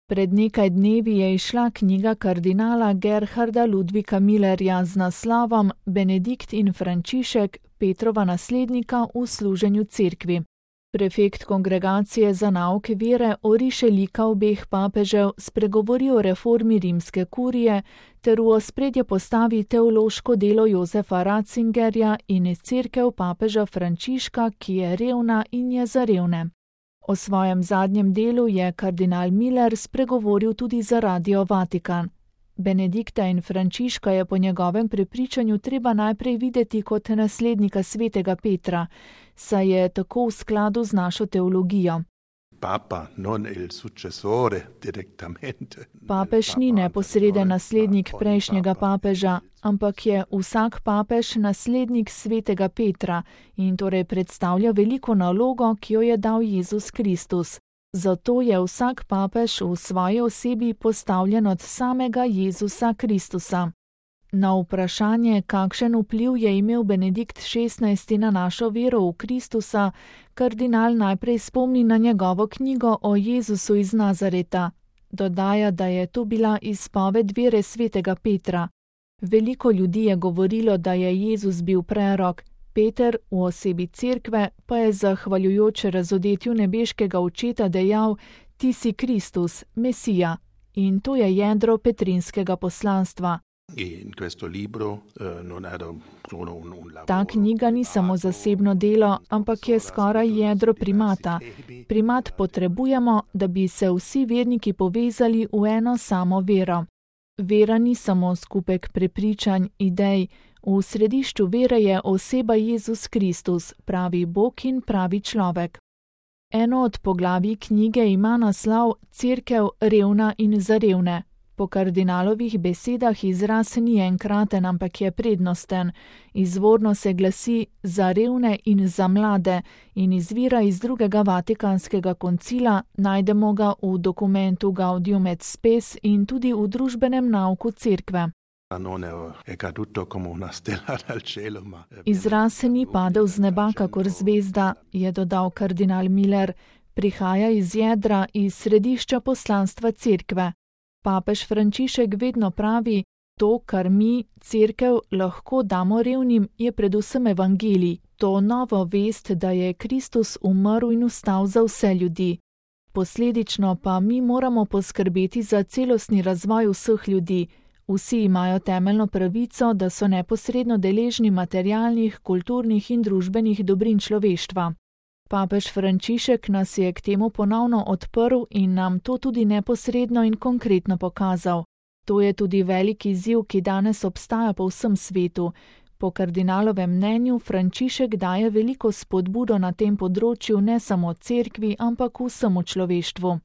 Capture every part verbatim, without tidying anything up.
Pred nekaj dnevi je izšla knjiga kardinala Gerharda Ludvika Millerja z naslovom Benedikt in Frančišek, Petrova naslednika v služenju cerkvi. Prefekt Kongregacije za nauk vere oriše lika obeh papežev, spregovori o reformi rimske kurije ter v ospredje postavi teološko delo Jozefa Ratzingerja in cerkev papeža Frančiška, ki je revna in je za revne. O svojem zadnjem delu je kardinal Miller spregovoril tudi za Radio Vatikan. Benedikta in Frančiška je po njegovem prepričanju treba najprej videti kot naslednika svetega Petra, saj je tako v skladu z našo teologijo. Papa non il successore direttamente. Papež ni neposreden naslednik prejšnjega papeža, ampak je vsak papež naslednik svetega Petra in torej predstavlja veliko nalogo, ki jo je dal Jezus Kristus. Zato je vsak papež v svoji osebi postavljen od samega Jezusa Kristusa. Na vprašanje, kakšen vpliv je imel Benedikt šestnajsti na našo vero v Kristusa, kardinal najprej spomni na njegovo knjigo o Jezusu iz Nazareta. Dodaja, da je to bila izpoved vere svetega Petra. Veliko ljudi je govorilo, da je Jezus bil prerok, Peter v osebi cerkve pa je zahvaljujoč razodetju nebeškega očeta dejal: Ti si Kristus, Mesija. In to je jedro petrinskega poslanstva. Ta knjiga ni samo zasebno delo, ampak je skoraj jedro primata. Primat potrebujemo, da bi se vsi verniki povezali v eno samo vero. Vera ni samo skupek prepričanj, idej. V središču vere je oseba Jezus Kristus, pravi Bog in pravi človek. Eno od poglavij knjige ima naslov Cerkev revna in za revne. Po kardinalovih besedah izraz ni enkraten, ampak je prednosten. Izvorno se glasi za revne in za mlade in izvira iz drugega vatikanskega koncila, najdemo ga v dokumentu Gaudium et Spes in tudi v družbenem nauku cerkve. Izraz ni padel z neba kakor zvezda, je dodal kardinal Miller, prihaja iz jedra, iz središča poslanstva cerkve. Papež Frančišek vedno pravi, to, kar mi, cerkev, lahko damo revnim, je predvsem evangelij, to novo vest, da je Kristus umrl in vstal za vse ljudi. Posledično pa mi moramo poskrbeti za celostni razvoj vseh ljudi. Vsi imajo temeljno pravico, da so neposredno deležni materialnih, kulturnih in družbenih dobrin človeštva. Papež Frančišek nas je k temu ponovno odprl in nam to tudi neposredno in konkretno pokazal. To je tudi velik izziv, ki danes obstaja po vsem svetu. Po kardinalovem mnenju Frančišek daje veliko spodbudo na tem področju ne samo cerkvi, ampak vsemu človeštvu.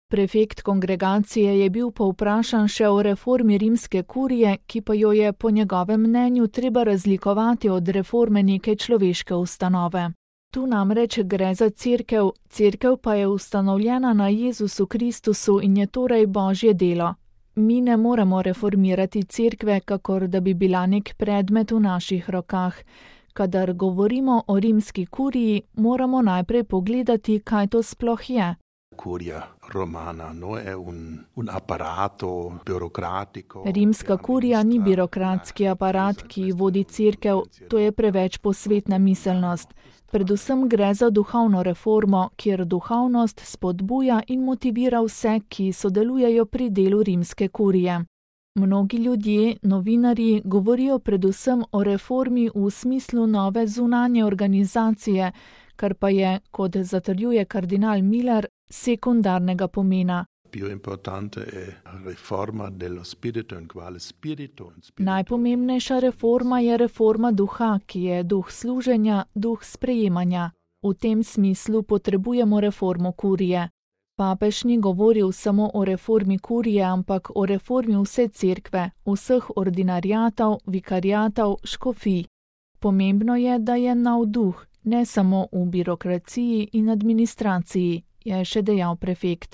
Prefekt kongregacije je bil povprašan še o reformi rimske kurije, ki pa jo je po njegovem mnenju treba razlikovati od reforme neke človeške ustanove. Tu namreč gre za cerkev, cerkev pa je ustanovljena na Jezusu Kristusu in je torej Božje delo. Mi ne moremo reformirati cerkve, kakor da bi bila nek predmet v naših rokah. Kadar govorimo o rimski kuriji, moramo najprej pogledati, kaj to sploh je. Romana, no, è un, un apparato burocratico. Rimska kurija ni birokratski aparat, ki vodi cerkev, to je preveč posvetna miselnost. Predvsem gre za duhovno reformo, kjer duhovnost spodbuja in motivira vse, ki sodelujejo pri delu rimske kurije. Mnogi ljudje, novinarji, govorijo predvsem o reformi v smislu nove zunanje organizacije, kar pa je, kot zatrjuje kardinal Miller, sekundarnega pomena. Najpomembnejša reforma je reforma duha, ki je duh služenja, duh sprejemanja. V tem smislu potrebujemo reformo kurije. Papež ni govoril samo o reformi kurije, ampak o reformi vse cerkve, vseh ordinariatov, vikariatov, škofij. Pomembno je, da je nov duh, ne samo v birokraciji in administraciji, je še dejal prefekt.